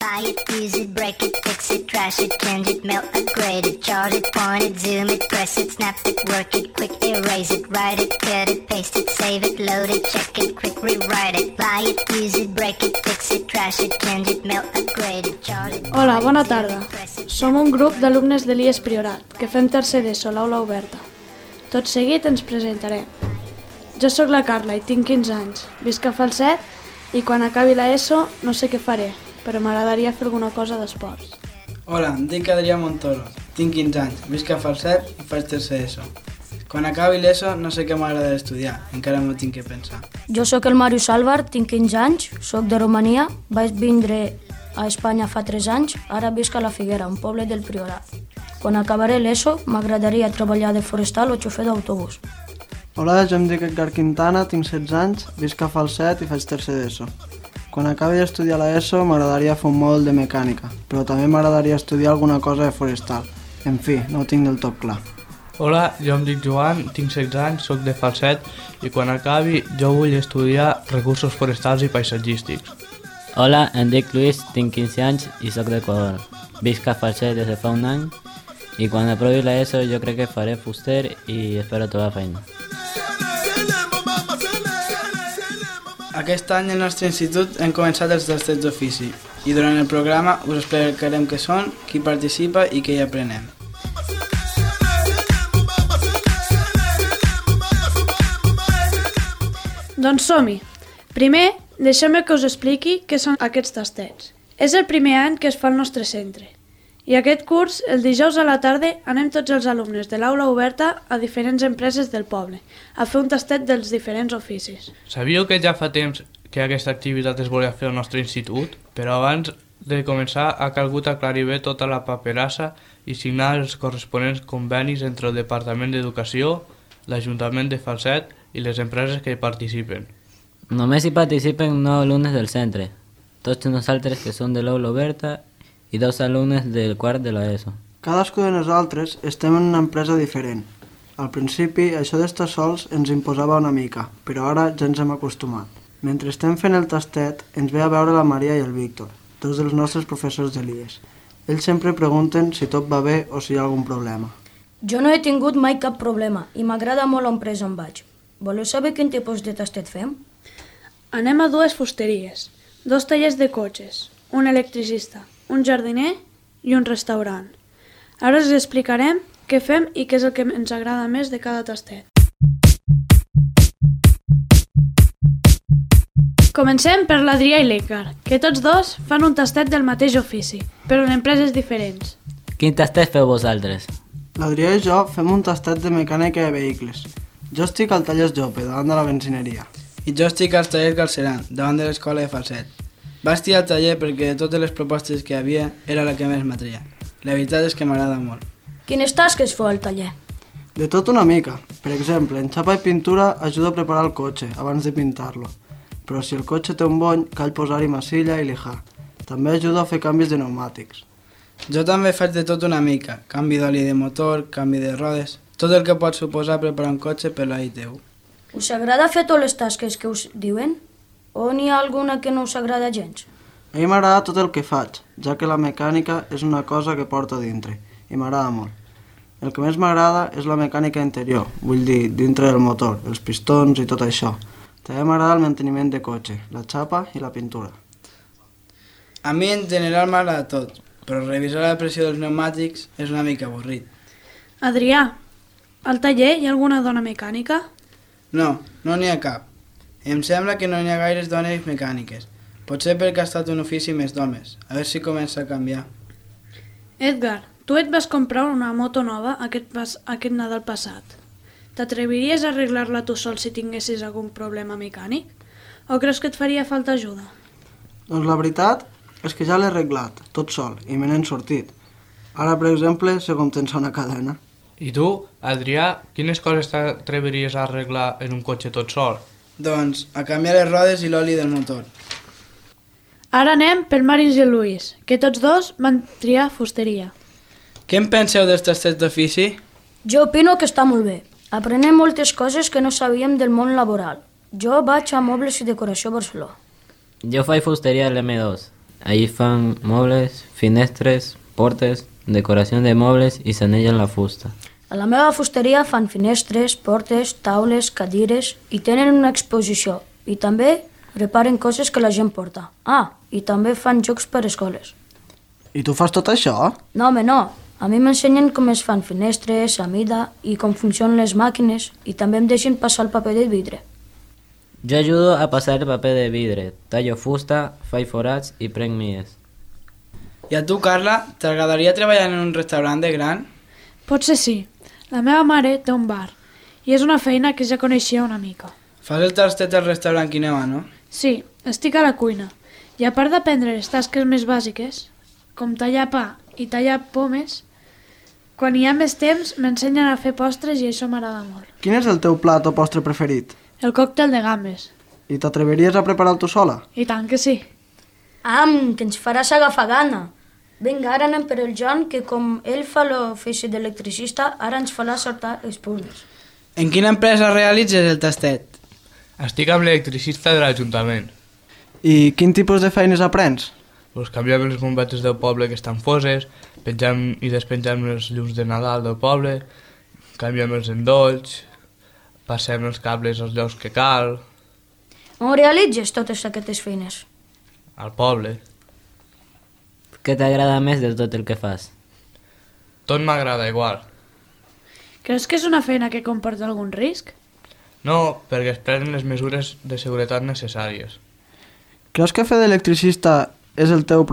Buy it, use it, break it, fix it, trash it, change it, melt, upgrade it, chart it, point it, zoom it, press it, snap it, work it, quick erase it, write it, cut it, paste it, save it, load it, check it, quick rewrite it. Buy it, use it, break it, fix it, trash it, change it, melt, upgrade it, chart it. Hola, bona tarda. Som un grup d'alumnes de l'IES Priorat, que fem tercer d'ESO a l'aula oberta. Tot seguit ens presentarem. Jo sóc la Carla i tinc 15 anys. Visc a Falset i quan acabi l'ESO no sé què faré, però m'agradaria fer alguna cosa d'esports. Hola, em dic Adrià Montoro, tinc 15 anys, visc a Falset i faig tercer ESO. Quan acabi l'ESO no sé què m'agrada estudiar, encara m'ho tinc que pensar. Jo sóc el Màrius Álvar, tinc 15 anys, sóc de Romania, vaig vindre a Espanya fa 3 anys, ara visc a la Figuera, un poble del Priorat. Quan acabaré l'ESO m'agradaria treballar de forestal o xofer d'autobús. Hola, jo em dic Edgar Quintana, tinc 16 anys, visc a Falset i faig tercer d'ESO. Quan acabi d'estudiar l'ESO m'agradaria fer un mòdul de mecànica, però també m'agradaria estudiar alguna cosa de forestal. En fi, no ho tinc del tot clar. Hola, jo em dic Joan, tinc 16 anys, soc de Falset i quan acabi jo vull estudiar recursos forestals i paisatgístics. Hola, em dic Luis, tinc 15 anys i soc d'Equador. Visc a Falset des de fa un any i quan aprovi l'ESO jo crec que faré fuster i espero trobar feina. Aquest any al nostre institut hem començat els tastets d'ofici i durant el programa us explicarem què són, qui participa i què hi aprenem. Doncs som-hi! Primer, deixeu-me que us expliqui què són aquests tastets. És el primer any que es fa al nostre centre. I aquest curs, el dijous a la tarda, anem tots els alumnes de l'aula oberta a diferents empreses del poble a fer un tastet dels diferents oficis. Sabíeu que ja fa temps que aquesta activitat es volia fer al nostre institut? Però abans de començar ha calgut aclarir bé tota la paperassa i signar els corresponents convenis entre el Departament d'Educació, l'Ajuntament de Falset i les empreses que hi participen. Només hi participen 9 alumnes del centre, tots nosaltres que som de l'aula oberta i 2 alumnes del quart de l'ESO. Cadascú de nosaltres estem en una empresa diferent. Al principi, això d'estar sols ens imposava una mica, però ara ja ens hem acostumat. Mentre estem fent el tastet, ens ve a veure la Maria i el Víctor, dos dels nostres professors de l'IES. Ells sempre pregunten si tot va bé o si hi ha algun problema. Jo no he tingut mai cap problema i m'agrada molt l'empresa on vaig. Voleu saber quin tipus de tastet fem? Anem a 2 fusteries, 2 tallers de cotxes, un electricista, un jardiner i un restaurant. Ara us explicarem què fem i què és el que ens agrada més de cada tastet. Comencem per l'Adrià i l'Edgar, que tots dos fan un tastet del mateix ofici, però en empreses diferents. Quin tastet feu vosaltres? L'Adrià i jo fem un tastet de mecànica de vehicles. Jo estic al taller Jope, davant de la benzineria. I jo estic al taller Galceran, davant de l'escola de Falset. Vaig triar el taller perquè de totes les propostes que hi havia era la que més m'atreia. La veritat és que m'agrada molt. Quines tasques feu al taller? De tot una mica. Per exemple, en xapa i pintura ajuda a preparar el cotxe abans de pintar-lo. Però si el cotxe té un bony, cal posar-hi massilla i lijar. També ajuda a fer canvis de pneumàtics. Jo també faig de tot una mica. Canvi d'oli de motor, canvi de rodes... Tot el que pot suposar preparar un cotxe per l'all teu. Us agrada fer totes les tasques que us diuen? O n'hi ha alguna que no us agrada gens? A mi m'agrada tot el que faig, ja que la mecànica és una cosa que porto dintre, i m'agrada molt. El que més m'agrada és la mecànica interior, vull dir, dintre del motor, els pistons i tot això. També m'agrada el manteniment de cotxe, la xapa i la pintura. A mi en general m'agrada tot, però revisar la pressió dels pneumàtics és una mica avorrit. Adrià, al taller hi ha alguna dona mecànica? No, no n'hi ha cap. Em sembla que no n'hi ha gaires dones mecàniques. Potser perquè ha estat un ofici més d'homes. A veure si comença a canviar. Edgar, tu et vas comprar una moto nova aquest Nadal passat. T'atreviries a arreglar-la tu sol si tinguessis algun problema mecànic? O creus que et faria falta ajuda? Doncs la veritat és que ja l'he arreglat, tot sol, i me n'he sortit. Ara, per exemple, sé com tensar una cadena. I tu, Adrià, quines coses t'atreviries a arreglar en un cotxe tot sol? Doncs a canviar les rodes i l'oli del motor. Ara anem pel Màrius i el Luis, que tots dos van triar fusteria. Què en penseu dels tastets d'ofici? Jo opino que està molt bé. Aprenem moltes coses que no sabíem del món laboral. Jo vaig a Mobles i Decoració Barcelona. Jo faig fusteria a l'M2. Allí fan mobles, finestres, portes, decoració de mobles i s'anellen la fusta. A la meva fusteria fan finestres, portes, taules, cadires i tenen una exposició. I també reparen coses que la gent porta. I també fan jocs per escoles. I tu fas tot això? No, home, no. A mi m'ensenyen com es fan finestres, a mida i com funcionen les màquines i també em deixen passar el paper de vidre. Jo ajudo a passar el paper de vidre, tallo fusta, faig forats i prenc mies. I a tu, Carla, t'agradaria treballar en un restaurant de gran? Potser sí. La meva mare té un bar i és una feina que ja coneixia una mica. Fas el tastet al restaurant Quinema, no? Sí, estic a la cuina i a part d'aprendre les tasques més bàsiques, com tallar pa i tallar pomes, quan hi ha més temps m'ensenyen a fer postres i això m'agrada molt. Quin és el teu plat o postre preferit? El còctel de gambes. I t'atreviries a preparar-lo tu sola? I tant que sí. Que ens faràs agafar gana. Vinga, ara anem per el Joan, que com ell fa l'ofici d'electricista, ara ens farà sortar els puzzles. En quina empresa realitzes el tastet? Estic amb l'electricista de l'Ajuntament. I quin tipus de feines aprens? Canviem les bombetes del poble que estan foses, pengem i despengem les llums de Nadal del poble, canviem els endolls, passem els cables als llocs que cal, On realitzes totes aquestes feines? al poble. Què t'agrada més de tot el que fas? Tot m'agrada igual. Creus que és una feina que comporta algun risc? No, perquè es prenen les mesures de seguretat necessàries. Creus que fer d'electricista és el teu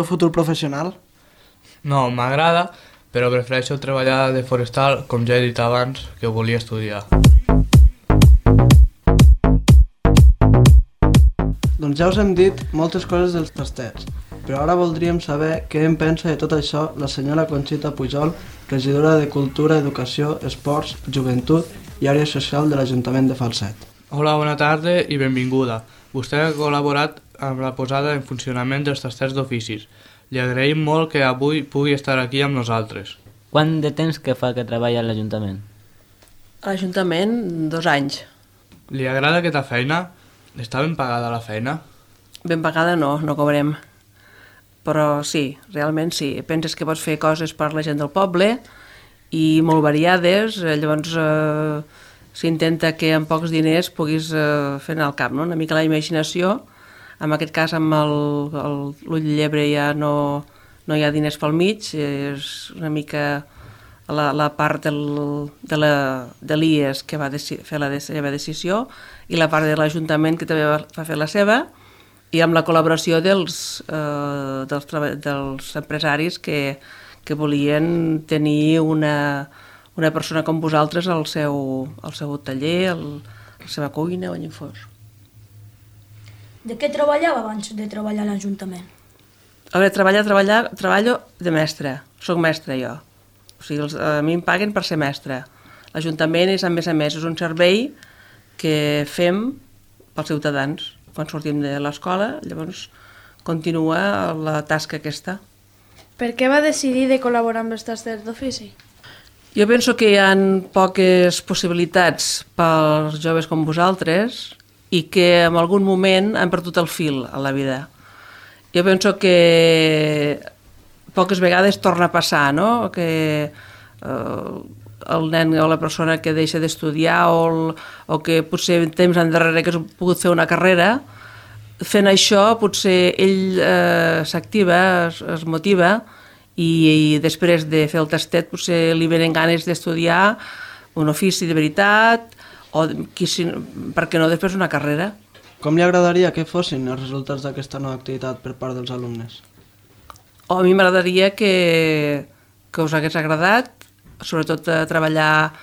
futur professional? No, m'agrada, però prefereixo treballar de forestal, com ja he dit abans, que volia estudiar. Doncs ja us hem dit moltes coses dels tastets, però ara voldríem saber què en pensa de tot això la senyora Conxita Pujol, regidora de Cultura, Educació, Esports, Joventut i Àrea Social de l'Ajuntament de Falset. Hola, bona tarda i benvinguda. Vostè ha col·laborat amb la posada en funcionament dels tastets d'oficis. Li agraïm molt que avui pugui estar aquí amb nosaltres. Quant de temps que fa que treballa a l'Ajuntament? A l'Ajuntament, 2 anys. Li agrada aquesta feina? Està ben pagada la feina? Ben pagada no cobrem. Però sí, realment sí. Penses que pots fer coses per la gent del poble i molt variades, llavors s'intenta que amb pocs diners puguis fer anar al cap, no? Una mica la imaginació. En aquest cas, amb l'ull de llebre ja no hi ha diners pel mig, és una mica la part de l'IES que va fer la seva decisió i la part de l'Ajuntament que també va fer la seva, i amb la col·laboració dels empresaris que volien tenir una persona com vosaltres al seu taller, a la seva cuina o allà on fos. De què treballava abans de treballar a l'Ajuntament? A veure, treballo de mestre. Soc mestre jo. O sigui, a mi em paguen per ser mestre. L'Ajuntament és, a més, és un servei que fem pels ciutadans. Quan sortim de l'escola, llavors continua la tasca aquesta. Per què va decidir de col·laborar amb els tasters d'ofici? Jo penso que hi ha poques possibilitats pels joves com vosaltres i que en algun moment han perdut el fil a la vida. Jo penso que poques vegades torna a passar, no? Que el nen o la persona que deixa d'estudiar o que potser temps endarrere que has pogut fer una carrera, fent això potser ell s'activa, es motiva i després de fer el tastet potser li venen ganes d'estudiar un ofici de veritat o, per què no, després una carrera. Com li agradaria que fossin els resultats d'aquesta nova activitat per part dels alumnes? A mi m'agradaria que us hagués agradat, sobretot treballar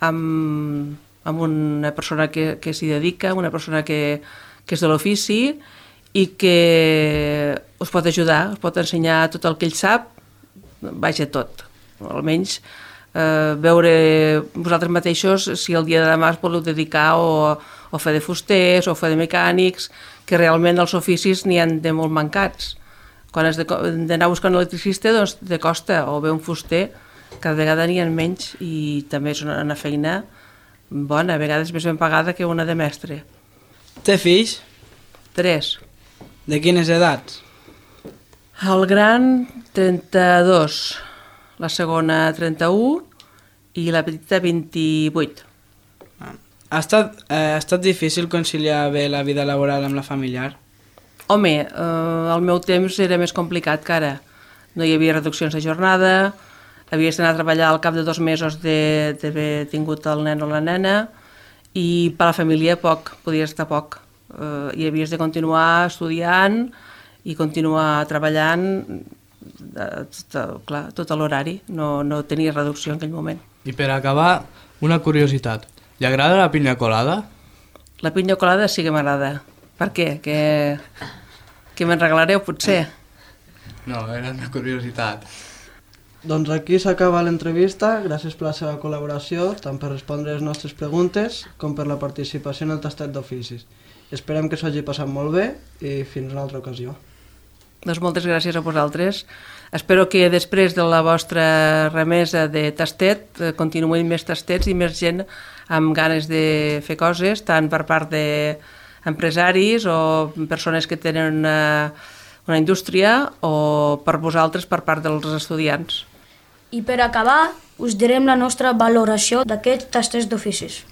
amb una persona que s'hi dedica, una persona que és de l'ofici i que us pot ajudar, us pot ensenyar tot el que ell sap, vaja tot, almenys veure vosaltres mateixos si el dia de demà es voleu dedicar o fer de fusters o fer de mecànics, que realment els oficis n'hi ha de molt mancats. Quan has d'anar buscant un electricista, doncs te costa, o bé un fuster, cada vegada n'hi ha menys i també és una feina bona, a vegades més ben pagada que una de mestre. Té fills? 3. De quines edats? El gran, 32, la segona, 31 i la petita, 28. Ha estat difícil conciliar bé la vida laboral amb la familiar? Home, al meu temps era més complicat que ara. No hi havia reduccions de jornada, havies d'anar a treballar al cap de 2 mesos d'haver tingut el nen o la nena i per a la família poc, podies estar poc. I havies de continuar estudiant i continuar treballant clar, tot l'horari, no tenia reducció en aquell moment. I per acabar, una curiositat. Li agrada la pinya colada? La pinya colada sí que m'agrada. Per què? Que me'n regalareu, potser? No, era una curiositat. Doncs aquí s'acaba l'entrevista. Gràcies per la seva col·laboració, tant per respondre les nostres preguntes com per la participació en el tastet d'oficis. Esperem que s'ho hagi passat molt bé i fins una altra ocasió. Doncs moltes gràcies a vosaltres. Espero que després de la vostra remesa de tastet continuïn més tastets i més gent amb ganes de fer coses, tant per part d'empresaris o persones que tenen una indústria o per vosaltres per part dels estudiants. I per acabar, us direm la nostra valoració d'aquests tastes d'oficis.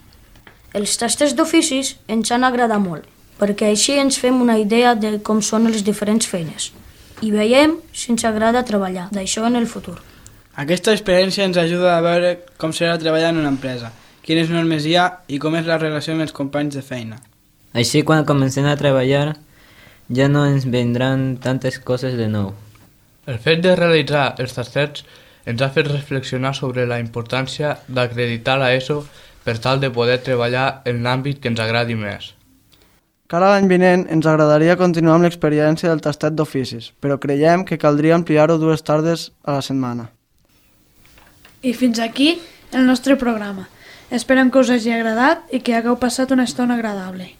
Els tastes d'oficis ens han agradat molt, perquè així ens fem una idea de com són les diferents feines i veiem si ens agrada treballar d'això en el futur. Aquesta experiència ens ajuda a veure com serà treballar en una empresa, quines normes hi ha i com és la relació amb els companys de feina. Així, quan comencem a treballar, ja no ens vendran tantes coses de nou. El fet de realitzar els tastets ens ha fet reflexionar sobre la importància d'acreditar l'ESO per tal de poder treballar en l'àmbit que ens agradi més. Cara a l'any vinent ens agradaria continuar amb l'experiència del tastet d'oficis, però creiem que caldria ampliar-ho 2 tardes a la setmana. I fins aquí el nostre programa. Esperem que us hagi agradat i que hagueu passat una estona agradable.